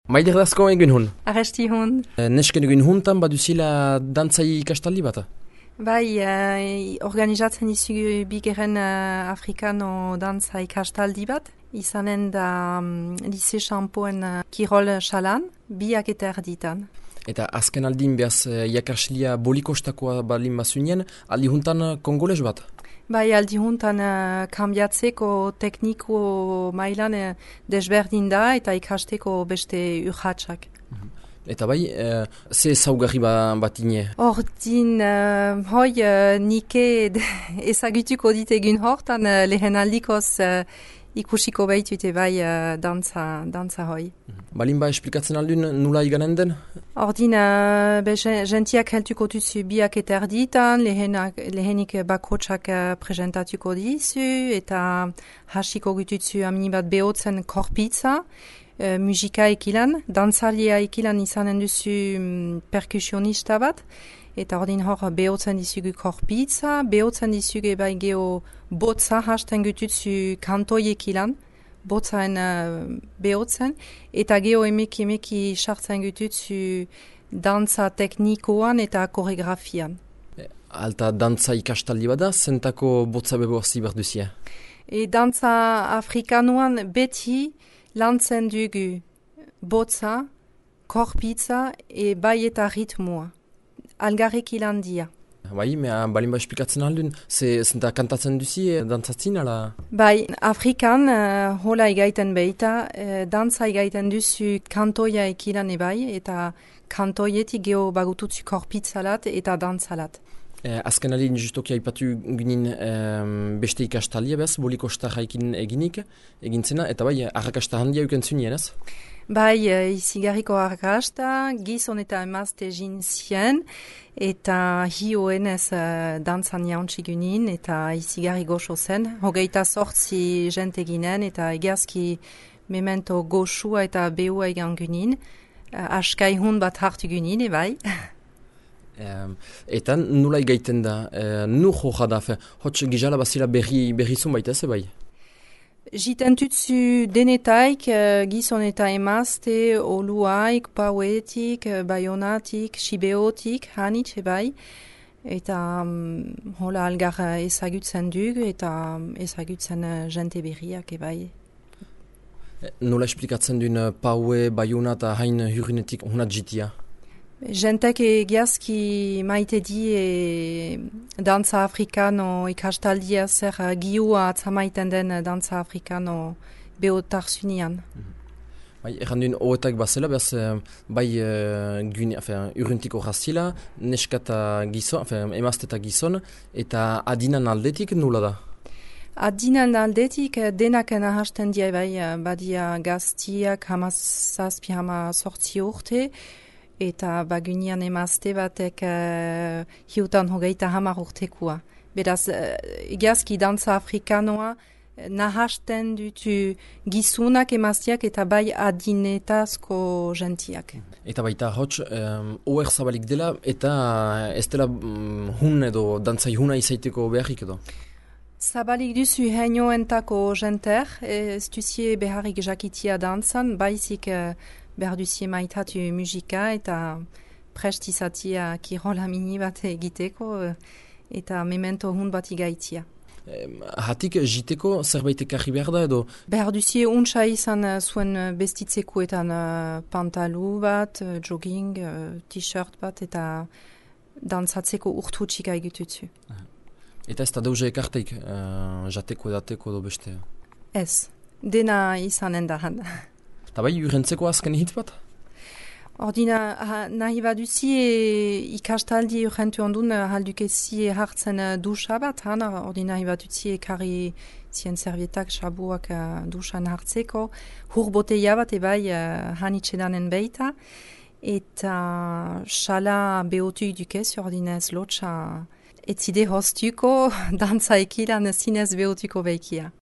Maider dazko egun hun. Arresti hon. Nesken egun huntan baduzila dantzai ikastaldi bat? Bai, organizatzen izugu bigeren Afrikano dantza ikastaldi bat. Izanen da Lise Champoen kirol salan, biak eta erditan. Eta azken aldin behaz jakaslia bolikostakoa balin bazunien, aldi huntan kongoles bat? Bai, aldi huntan kambiatzeko tekniko mailan desberdin da eta ikasteko beste urratsak. Eta bai, ze zaugarri bat ine? Ordin, nike ezagutuko dit egun hortan lehen aldikoz ikusiko behitute bai dantza hoi. Balin ba esplikatzen aldun nula iganen den? Ordin, gentiak heltuko duzu biak eta erditan, lehenik bakotsak presentatuko dizu, eta hasiko gututzu amini bat behotzen korpitza, musika ekilan, dantzalia ekilan izanen duzu perkusionista bat, eta ordin hor behotzen dizugu korpitza, behotzen dizugu bai geho botza hasten gututzu kantoi ekilan, botzaen behotzen, eta geho emeki sartzen gututzu dantza teknikoan eta koreografian. Alta dantza ikastaldi bada, zentako botza beborzi berduzia? Dantza afrikanoan beti lantzen dugu botza, korpitza bai eta ritmoa. Algarrek ilan dia. Bai, mea balin ba esplikatzen aldun, zenta kantatzen duzi dantzatzin, ala? Bai, Afrikan hola egaiten behita, dantza egaiten duzu kantoia ekilan ebai, eta kantoietik geho bagututzu korpitzalat eta dantzalat. Azken alin justoki haipatu ginen beste ikastalia bez, boliko starraikin egintzena, eta bai, arrakasta handia eukentzunien ez? Bai, izigarriko arrakasta, gizon eta emazte zien, eta hioenez dantzan jauntxigunin, eta izigarri goxo zen. Hogeita sortzi jente ginen, eta egiazki memento goxua eta behua egan gunin. Askai hun bat hartu gunin, bai. Eta nula egaiten da, nu joja da, hotx gizala bazila berrizun baita ze bai? Jiten tutsu denetaik, gizon eta emazte, oluaik, pauetik, bayonatik, sibeotik, hanitxe bai. Eta hola algar ezagutzen dugu eta ezagutzen jente berriak ebai. Nola esplikatzen duen paue, bayona eta hain hurrinetik honat jitia? Jentek egiazki maite di dantza afrikano ikastaldia zer giua atzamaiten den dantza afrikano behotarzunian. Bai, erran duen hoetak bazela, behaz, bai urruntiko razila, neskata gizon, emazte eta gizon, eta adinan aldetik nula da? Adinan aldetik denak nahasten dia bai, badia gaztiak hamazazpi sortzi urte, eta bagunian emazte batek hiutan hogeita 10 urtekoa. Beraz, egiazki dantza afrikanoa nahasten dutu gizunak emazteak eta bai adinetazko gentiak. Eta baita hotx, oer zabalik dela eta ez dela hun edo dantzai huna izaiteko beharrik edo? Zabalik duzu heinoentako jenter, ez duzie beharrik jakitia dantzan, baizik behar duzie maitatu musika eta prest izatia kirola mini bat egiteko eta memento hun bat igaitia. Hatik jiteko zerbait ekarri behar da edo? Behar duzie untsa izan zuen bestitzekoetan pantalu bat, jogging, t-shirt bat eta dantzatzeko urtutxika egitutzu. Eta ez da deuze ekarteik jateko edateko edo beste? Ez, dena izanen dahan. Eta bai, urrentzeko azken hitz bat? Ordina, nahi baduzi ikastaldi urrentu ondun haldukezie hartzen dusa bat, ordina nahi baduzi ekarri zien servietak, sabuak dusan hartzeko, hurboteia bat ebai hanitxedanen beita, eta xala behotu dukez, ordina ez lotxa etzide hostuko, dantza ekilan zinez behotuko behikia.